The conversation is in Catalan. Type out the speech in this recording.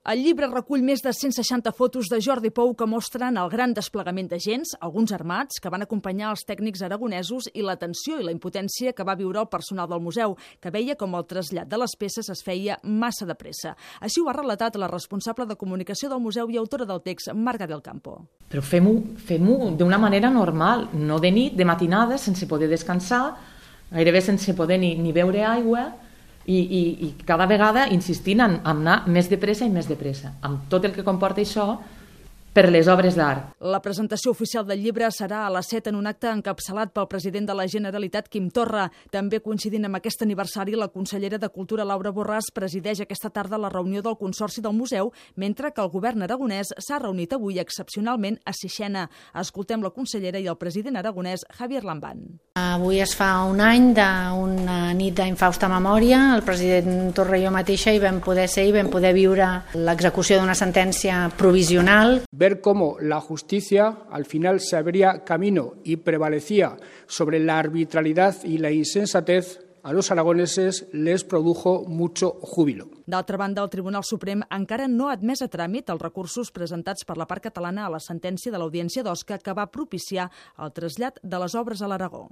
El llibre recull més de 160 fotos de Jordi Pou que mostren el gran desplegament d'agents, alguns armats, que van acompanyar els tècnics aragonesos i la tensió i la impotència que va viure el personal del museu, que veia com el trasllat de les peces es feia massa de pressa. Així ho ha relatat la responsable de comunicació del museu i autora del text, Marga del Campo. Però fem-ho d'una manera normal, no de nit, de matinada, sense poder descansar, gairebé sense poder ni beure aigua, i cada vegada insistint en anar més de pressa i més de pressa, amb tot el que comporta això per les obres d'art. La presentació oficial del llibre serà a les 7 en un acte encapçalat pel president de la Generalitat, Quim Torra. També coincidint amb aquest aniversari, la consellera de Cultura, Laura Borràs, presideix aquesta tarda la reunió del Consorci del Museu, mentre que el govern aragonès s'ha reunit avui excepcionalment a Sixena. Escoltem la consellera i el president aragonès, Javier Lambán. Avui es fa un any d'una nit d'infausta memòria. El president Torra i jo mateixa hi vam poder ser i vam poder viure l'execució d'una sentència provisional. Ver cómo la justicia al final se abría camino y prevalecía sobre la arbitrariedad y la insensatez, a los aragoneses les produjo mucho júbilo. D'altra banda, el Tribunal Suprem encara no ha admès a tràmit els recursos presentats per la part catalana a la sentència de l'Audiència d'Osca que va propiciar el trasllat de les obres a l'Aragó.